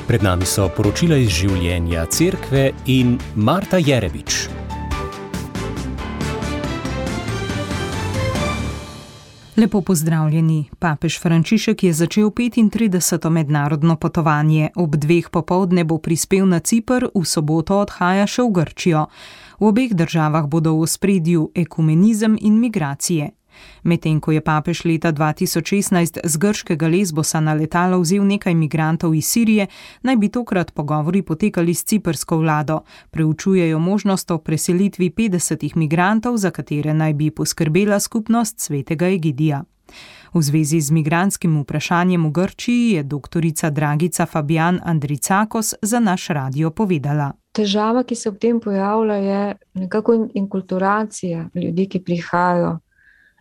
Pred nami so poročila iz življenja cerkve in Marta Jerebič. Lepo pozdravljeni. Papež Frančišek je začel 35. mednarodno potovanje. Ob 2 popoldne bo prispel na Ciper, v soboto odhaja še v Grčijo. V obeh državah bodo v ospredju ekumenizem in migracije. Medtem ko je papež leta 2016 z grškega Lesbosa na letalo vzel nekaj migrantov iz Sirije, naj bi tokrat pogovori potekali s ciprsko vlado. Preučujejo možnost o preselitvi 50 migrantov, za katere naj bi poskrbela skupnost Svetega Egidija. V zvezi z migrantskim vprašanjem v Grčiji je doktorica Dragica Fabijan Andricakos za naš radio povedala. Težava, ki se ob tem pojavlja, je nekako inkulturacija ljudi, ki prihajajo,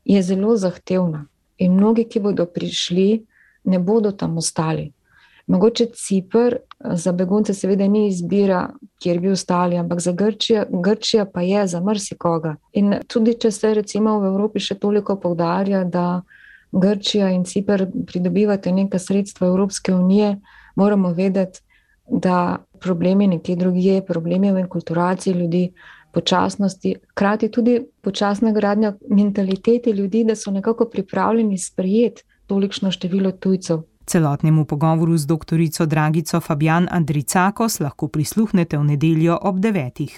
je zelo zahtevna in mnogi, ki bodo prišli, ne bodo tam ostali. Mogoče Ciper za begunce seveda ni izbira, kjer bi ostali, ampak za Grčija pa je za marsikoga. In tudi, če se recimo v Evropi še toliko poudarja, da Grčija in Ciper pridobivate neka sredstva Evropske unije, moramo vedeti, da problemi nekje drugje, problemi v inkulturaciji ljudi, počasnosti, krati tudi počasna gradnja mentalitete ljudi, da so nekako pripravljeni sprejeti tolikšno število tujcev. Celotnemu pogovoru z doktorico Dragico Fabijan Andricakos lahko prisluhnete v nedeljo ob 9.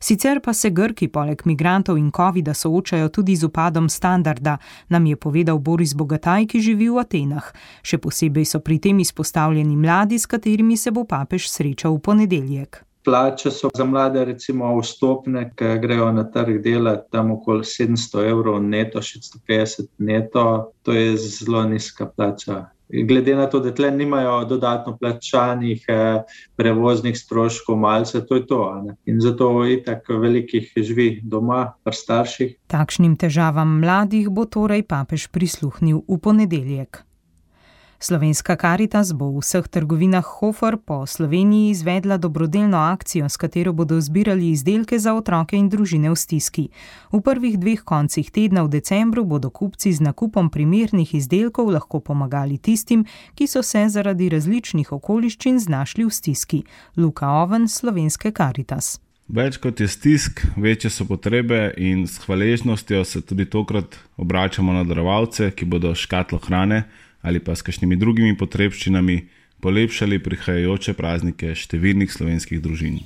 Sicer pa se Grki poleg migrantov in covida soočajo tudi z upadom standarda, nam je povedal Boris Bogataj, ki živi v Atenah. Še posebej so pri tem izpostavljeni mladi, s katerimi se bo papež srečal v ponedeljek. Plače so za mlade recimo vstopne, ki grejo na trg dela tam okoli 700 evrov neto, 650 neto, to je zelo nizka plača. Glede na to, da tle nimajo dodatno plačanih prevoznih stroškov malce, to je to. In zato itak velikih živi doma pri starših. Takšnim težavam mladih bo torej papež prisluhnil v ponedeljek. Slovenska Karitas bo v vseh trgovinah Hofer po Sloveniji izvedla dobrodelno akcijo, s katero bodo zbirali izdelke za otroke in družine v stiski. V prvih 2 koncih tedna v decembru bodo kupci z nakupom primernih izdelkov lahko pomagali tistim, ki so se zaradi različnih okoliščin znašli v stiski. Luka Oven, Slovenske Karitas. Več kot je stisk, večje so potrebe in s hvaležnostjo se tudi tokrat obračamo na darovalce, ki bodo škatlo hrane ali pa s kakšnimi drugimi potrebščinami polepšali prihajajoče praznike številnih slovenskih družin.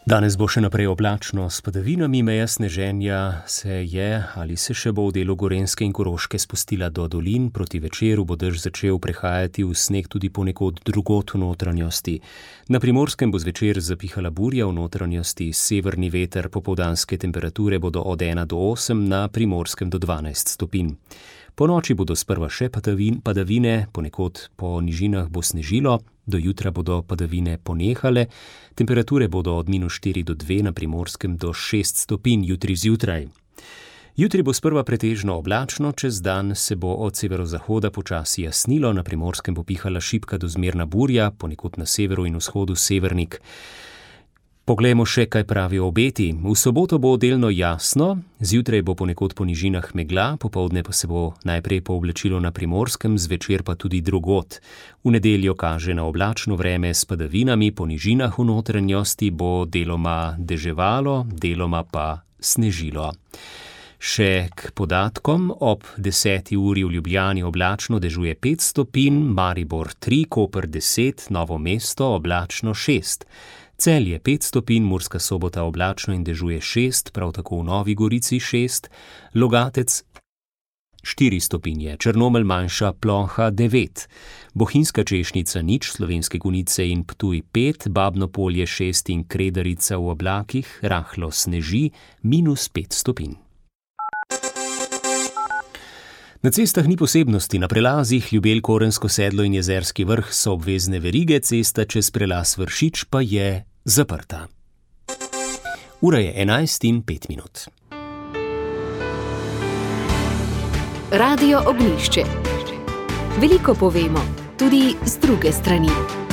Danes bo še naprej oblačno s padavinami, meja sneženja se je ali se še bo v delu Gorenjske in Koroške spustila do dolin, proti večeru bo dež začel prehajati v sneg tudi ponekod drugod v notranjosti. Na Primorskem bo zvečer zapihala burja, v notranjosti severni veter, popoldanske temperature bodo od 1 do 8, na Primorskem do 12 stopinj. Po noči bodo sprva še padavine, ponekod po nižinah bo snežilo, do jutra bodo padavine ponehale, temperature bodo od -4 do 2, na Primorskem do 6 stopinj jutri zjutraj. Jutri bo sprva pretežno oblačno, čez dan se bo od severozahoda počasi jasnilo, na Primorskem bo pihala šibka do zmerna burja, ponekod na severu in vzhodu severnik. Poglejmo še, kaj pravijo obeti. V soboto bo delno jasno, zjutraj bo ponekod po nižinah megla, popoldne pa se bo najprej pooblačilo na Primorskem, zvečer pa tudi drugod. V nedeljo kaže na oblačno vreme s padavinami, po nižinah v notranjosti bo deloma deževalo, deloma pa snežilo. Še k podatkom, ob 10. uri v Ljubljani oblačno dežuje 5 stopinj, Maribor 3, Koper 10, Novo mesto oblačno 6. Celje 5 stopinj, Murska Sobota oblačno in dežuje 6, prav tako v Novi Gorici 6, Logatec 4 stopinje, Črnomelj manjša ploha 9, Bohinjska Češnica 0, Slovenske Konjice in Ptuj 5, Babno Polje 6 in Kredarica v oblakih, rahlo sneži, -5 stopinj. Na cestah ni posebnosti, na prelazih Ljubelj, Korensko sedlo in Jezerski vrh so obvezne verige, cesta čez prelaz Vršič pa je zaprta. Ura je 11:05. Radio Ognjišče. Veliko povemo, tudi z druge strani.